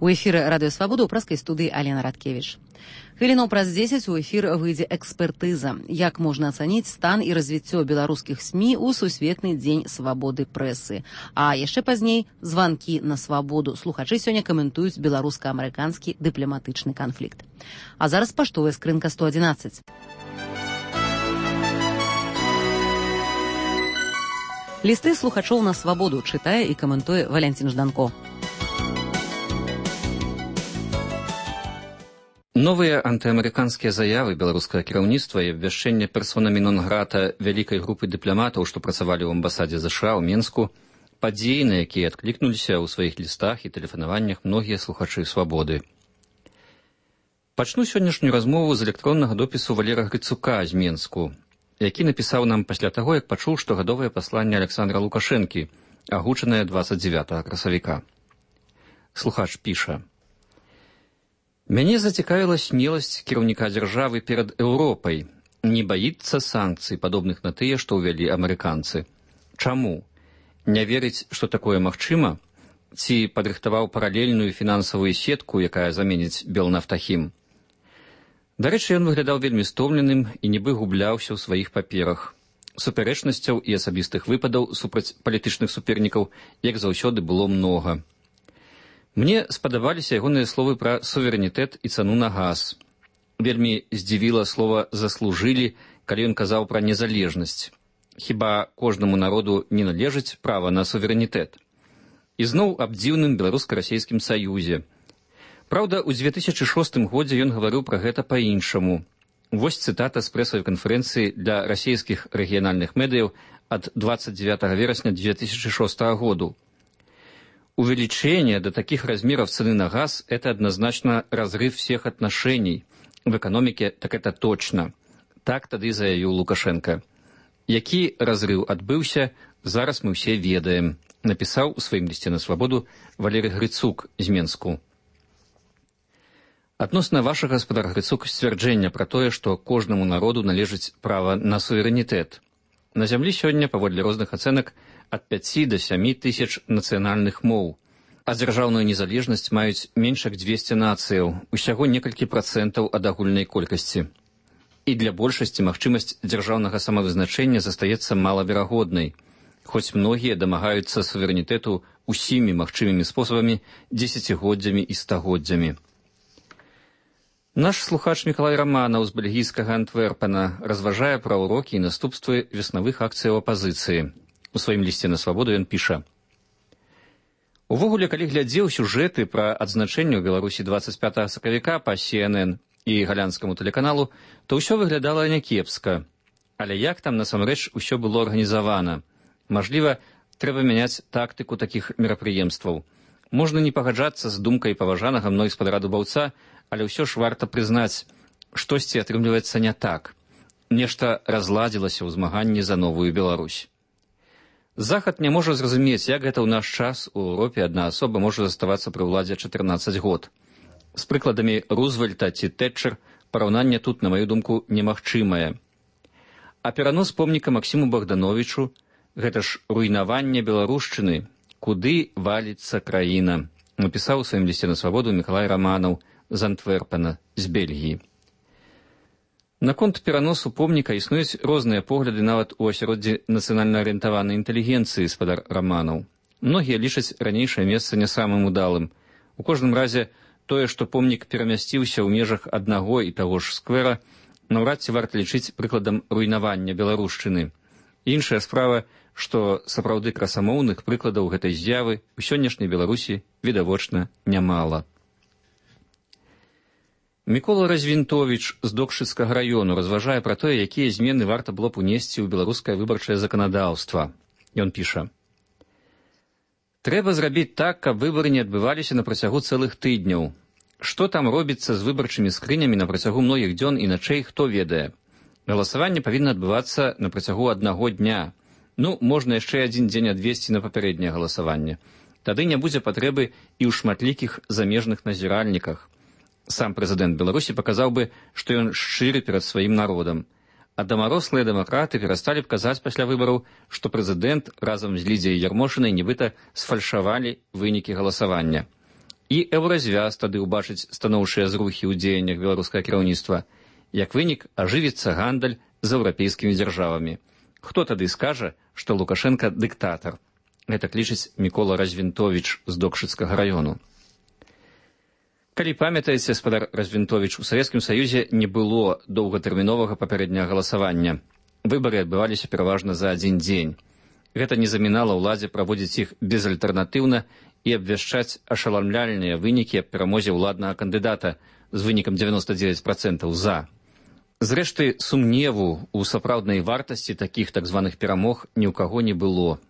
У эфіры радыёвабода ў праскай студыі Алена Радкевіч. Хвілінаў праз 10 у эфір выйдзе экспертыза. Як можна ацаніць стан і развіццё беларускіх СМІ ў сусветны дзень свабоды прэсы. А яшчэ пазней званкі на свабоду. Слухачы сёння каментуюць беларуска-амерыканскі дыпламатычны канфлікт. А зараз паштовая скрынка 111. Лісты слухачоў на свабоду чытае і каментуе Валянцін Жданко. Новыя антыамерыканскія заявы беларускага кіраўніцтва і абвяшчэнне персонамі нон-грата вялікай групы дыпламатаў, што працавалі ў амбасадзе ЗША ў Менску, падзеі, на якія адклікнуліся ў сваіх лістах і тэлефанаваннях многія слухачы свабоды. Пачну сённяшнюю размову з электроннага допісу Валера Грыцука з Менску, які напісаў нам пасля таго, як пачуў штогадовае пасланне Александра Лукашэнкі, агучанае 29 красавіка. Слухач піша: «Мяне зацікавіла смеласць кіраўніка дзяржавы перад Еўропай. Не баіцца санкцый, падобных на тыя, што ўвялі амерыканцы. Чаму? Не верыць, што такое магчыма? Ці падрыхтаваў паралельную фінансавую сетку, якая заменіць Белнафтахім?» Дарэчы, ён выглядаў вельмі стомленым і нібы губляўся ў сваіх паперах. Супярэчнасцяў і асабістых выпадаў супраць палітычных супернікаў, як заўсёды, было многа. Мне спадабаліся ягоныя словы пра суверэнітэт і цану на газ. Вельмі здзівіла слова «заслужылі», калі ён казаў пра незалежнасць. Хіба кожнаму народу не належыць права на суверэнітэт? І зноў аб дзіўным беларуска-расейскім саюзе. Праўда, у 2006 годзе ён гаварыў пра гэта па-іншаму. Вось цытата з прэсавай канферэнцыі для расійскіх рэгіянальных медыяў ад 29 верасня 2006 году. «Увеличение до таких размеров цены на газ – это однозначно разрыв всех отношений. В экономике так это точно». Так тады заявіў Лукашенко. Які разрыв адбыўся, зараз мы ўсе ведаем, напісаў у сваім лісце на свабоду Валерый Грыцук з Менску. Адносна вашага, гаспадар Грыцук, сцвярджэння пра тое, што кожнаму народу належыць права на суверэнітэт. На зямлі сёння, паводле розных ацэнак, ад 5 до 7 тысяч нацыянальных моў, а дзяржаўную незалежнасць маюць менш як 200 нацыяў, усяго некалькі працэнтаў ад агульнай колькасці. І для большасці магчымасць дзяржаўнага самавызначэння застаецца малаверагоднай, хоць многія дамагаюцца суверэнітэту усімі магчымымі спосабамі, дзесяцігоддзямі і стагоддзямі. Наш слухач Мікалай Раманаў з бельгійскага Антверпена разважае пра ўрокі і наступствы веснавых акцыяў апазіцыі. У сваім лісце на свабоду ён піша: «Увогуле, калі глядзеў сюжэты пра адзначэнне ў Беларусі 25 сакавіка па CNN і галянскаму тэлеканалу, то ўсё выглядала някепска. Але як там насамрэч усё было арганізавана? Мажліва, трэба мяняць тактыку такіх мерапрыемстваў. Можна не пагаджацца з думкай паважанага мной гаспадара Дубаўца, але ўсё ж варта прызнаць, штосьці атрымліваецца не так. Нешта разладзілася ў змаганні за новую Беларусь. Захад не можа зразумець, як гэта ў наш час у Еўропе адна асоба можа заставацца пры ўладзе 14 год. З прыкладамі Рузвельта ці Тэтчер параўнанне тут, на маю думку, немагчымае. А перанос помніка Максіму Богдановичу – гэта ж руйнаванне беларушчыны, куды валіцца краіна, напісаў у сваім лісце на свабоду Мікалай Раманаў з Антверпена, з Бельгіі. Наконт пераносу помніка існуюць розныя погляды нават у асяроддзі нацыянальна-арыентаванай інтэлігенцыі, гаспадар Раманаў. Многія лічаць ранейшае месца не самым удалым. У кожным разе тое, што помнік перамясціўся ў межах аднаго і таго ж сквера, наўрад ці варта лічыць прыкладам руйнавання беларушчыны. Іншая справа, што сапраўды красамоўных прыкладаў гэтай з'явы ў сённяшняй Беларусі відавочна нямала. Мікола Развінтовіч з Докшыцкага раёну разважае пра тое, якія змены варта было б унесці ў беларускае выбарчае заканадаўства. Ён піша: «Трэба зрабіць так, каб выбары не адбываліся на працягу цэлых тыдняў. Што там робіцца з выбарчымі скрынямі на працягу многіх дзён і начэй, хто ведае. Галасаванне павінна адбывацца на працягу аднаго дня. Ну, можна яшчэ адзін дзень адвесці на папярэдняе галасаванне. Тады не будзе патрэбы і ў шматлікіх замежных назіральніках. Сам прэзідэнт Беларусі паказаў бы, што ён шчыры перад сваім народам. А дамарослыя дэмакраты перасталі б казаць пасля выбараў, што прэзідэнт разам з Лідзіяй Ярмошынай нібыта сфальшавалі вынікі галасавання. І еўразвяз тады ўбачыць станоўчыя зрухі ў дзеяннях беларускага кіраўніцтва. Як вынік, ажывіцца гандаль з еўрапейскімі дзяржавамі. Хто тады скажа, што Лукашенка дыктатар? Гэта лічыць Мікола Развінтовіч з Докшыцкага раёну. Калі памятаеце, спадар Развінтовіч, у Савецкім Саюзе не было доўгатэрміновага папярэдняга галасавання. Выбары адбываліся пераважна за адзін дзень. Гэта не замінала ўладзе праводзіць іх безальтэрнатыўна і абвяшчаць ашаламляльныя вынікі аб перамозе ўладнага кандыдата з вынікам 99% за. Зрэшты, сумневу ў сапраўднай вартасці такіх так званых перамог ні ў каго не было.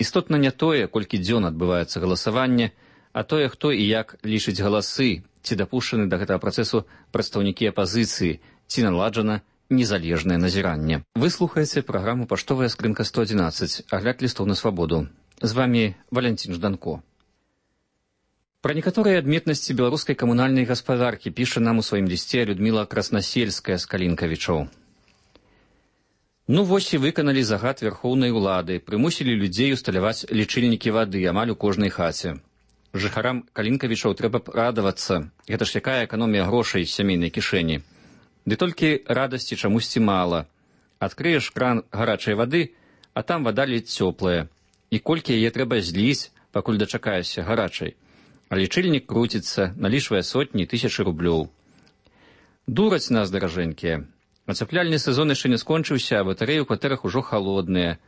Істотна не тое, колькі дзён адбываецца галасаванне, а тое, хто і як лічыць галасы, ці дапушчаны да гэтага працэсу прадстаўнікі апазіцыі, ці наладжана незалежнае назіранне. Вы слухаеце праграму «Паштовая скрынка 111», агляд лістоў на свабоду. З вамі Валянцін Жданко. Пра некаторыя адметнасці беларускай камунальнай гаспадаркі піша нам у сваім лісце Людміла Краснасельская з Калінкавічоў. Ну вось і выканалі загад вярхоўнай улады, прымусілі людзей усталяваць лічыльнікі вады амаль у кожнай хаце. Жыхарам Калінкавічоў трэба б радавацца. Гэта ж якая эканомія грошай з сямейнай кішэні. Ды толькі радасці чамусьці мала. Адкрыеш кран гарачай вады, а там вада ледзь цёплая. І колькі яе трэба зліць, пакуль дачакаешся гарачай. А лічыльнік круціцца, налічвае сотні, тысячы рублёў. Дураць нас, даражэнькія. Ацяпляльны сезон яшчэ не скончыўся, а батарэі ў кватэрах ужо халодныя.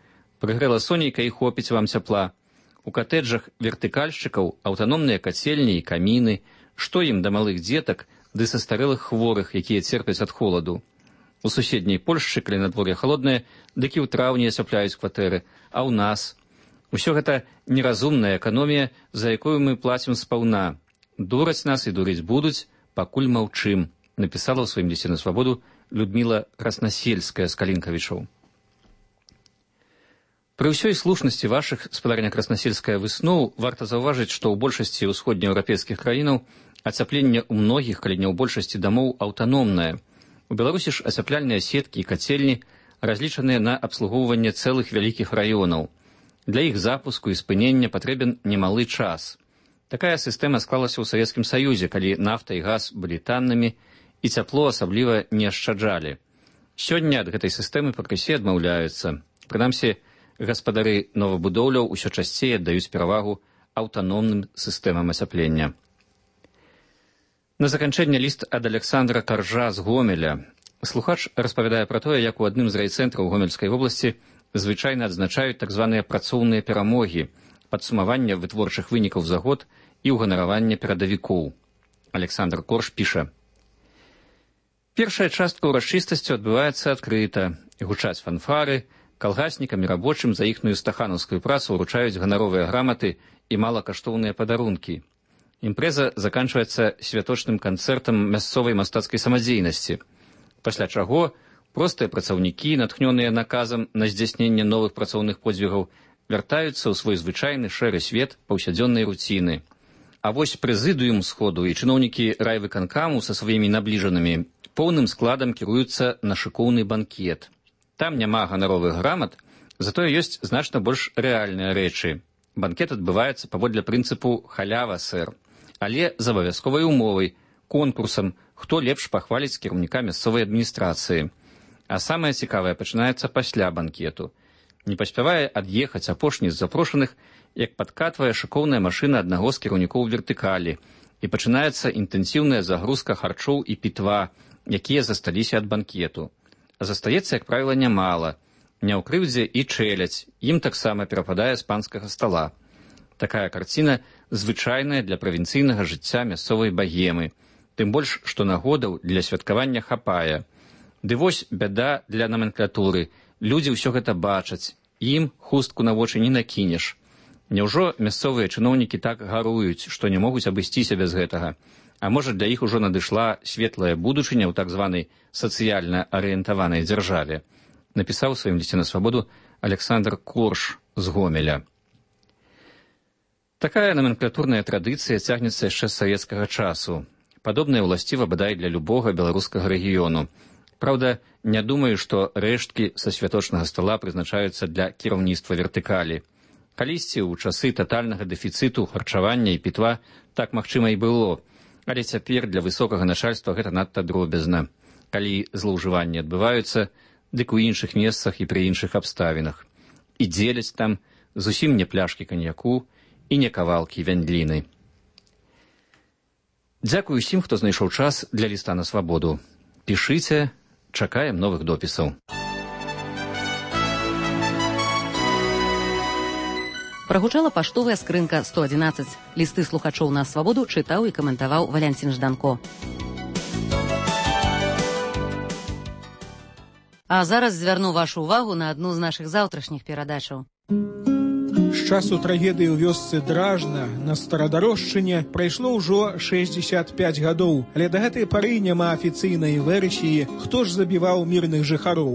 Прыгрэла сонейка і хопіць вам цяпла. У катэджах вертыкальшчыкаў аўтаномныя кацельні і каміны. Што ім да малых дзетак ды састарэлых хворых, якія церпяць ад холаду? У суседняй Польшчы, калі надвор'е халоднае, дык і ў траўні ацяпляюць кватэры, а ў нас? Усё гэта неразумная эканомія, за якую мы плацім спаўна. Дураць нас і дурыць будуць, пакуль маўчым, напісала ў сваім лісце на свабоду Людміла Краснасельская з Калінкавічоў. Пры ўсёй слушнасці вашых, спадарня Краснасельская, высноў, варта заўважыць, што ў большасці ўсходнееўрапейскіх краінаў ацяпленне ў многіх, калі не ў большасці дамоў, аўтаномнае. У Беларусі ж ацяпляльныя сеткі і кацельні разлічаныя на абслугоўванне цэлых вялікіх раёнаў. Для іх запуску і спынення патрэбен немалы час. Такая сістэма склалася ў Савецкім Саюзе, калі нафта і газ былі таннымі і цяпло асабліва не ашчаджалі. Сёння ад гэтай сістэмы пакрысе адмаўляюцца. Прынамсі, гаспадары новабудоўляў усё часцей аддаюць перавагу аўтаномным сістэмам ацяплення. На заканчэнне ліст ад Александра Каржа з Гомеля. Слухач распавядае пра тое, як у адным з райцэнтраў Гомельскай вобласці звычайна адзначаюць так званыя працоўныя перамогі, падсумавання вытворчых вынікаў за год і ўганаравання перадавікоў. Александр Корж піша: першая частка ўрачыстасцю адбываецца адкрыта. Гучаць фанфары, калгаснікам і рабочым за іхную стаханаўскую працу ўручаюць ганаровыя граматы і малакаштоўныя падарункі. Імпрэза заканчваецца святочным канцэртам мясцовай мастацкай самадзейнасці, пасля чаго простыя працаўнікі, натхнёныя наказам на здзяйсненне новых працоўных подзвігаў, вяртаюцца ў свой звычайны шэры свет паўсядзённай руціны. А вось прэзідыум сходу і чыноўнікі райвыканкаму са сваімі набліжанымі поўным складам кіруюцца на шыкоўны банкет. Там няма ганаровых грамат, затое ёсць значна больш рэальныя рэчы. Банкет адбываецца паводле прынцыпу «халява, сэр», але з абавязковай умовай, конкурсам, хто лепш пахваліць кіраўніка мясцовай адміністрацыі. А самае цікавае пачынаецца пасля банкету. Не паспявае ад'ехаць апошні з запрошаных, як падкатвае шыкоўная машына аднаго з кіраўнікоў вертыкалі, і пачынаецца інтэнсіўная загрузка харчоў і пітва, якія засталіся ад банкету. А застаецца, як правіла, нямала. Не ў крыўдзе і чэляць, ім таксама перападае з панскага стала. Такая карціна звычайная для правінцыйнага жыцця мясцовай багемы, тым больш, што нагодаў для святкавання хапае. Ды вось бяда для наменклатуры. Людзі ўсё гэта бачаць, ім хустку на вочы не накінеш. Няўжо мясцовыя чыноўнікі так гаруюць, што не могуць абысціся без гэтага? А можа, для іх ужо надышла светлая будучыня ў так званай сацыяльна арыентаванай дзяржаве? Напісаў у сваім лісце на свабоду Александр Корж з Гомеля. Такая наменклатурная традыцыя цягнецца яшчэ з савецкага часу. Падобная ўласціва бадай для любога беларускага рэгіёну. Праўда, не думаю, што рэшткі са святочнага стала прызначаюцца для кіраўніцтва вертыкалі. Калісьці ў часы татальнага дэфіцыту харчавання і пітва так магчыма і было. Але цяпер для высокага начальства гэта надта дробязна. Калі злоўжыванні адбываюцца, дык у іншых месцах і пры іншых абставінах. І дзеляць там зусім не пляшкі каньяку і не кавалкі вяндліны. Дзякую усім, хто знайшоў час для ліста на свабоду. Пішыце, чакаем новых допісаў. Прагучала паштовая скрынка 111. Лісты слухачоў на свабоду чытаў і каментаваў Валянцін Жданко. А зараз звярну вашу ўвагу на адну з нашых заўтрашніх перадачаў. З часу трагедыі ў вёсцы Дражна на Старадарожчыне прайшло ўжо 65 гадоў, але да гэтай пары няма афіцыйнай версіі, хто ж забіваў мірных жыхароў.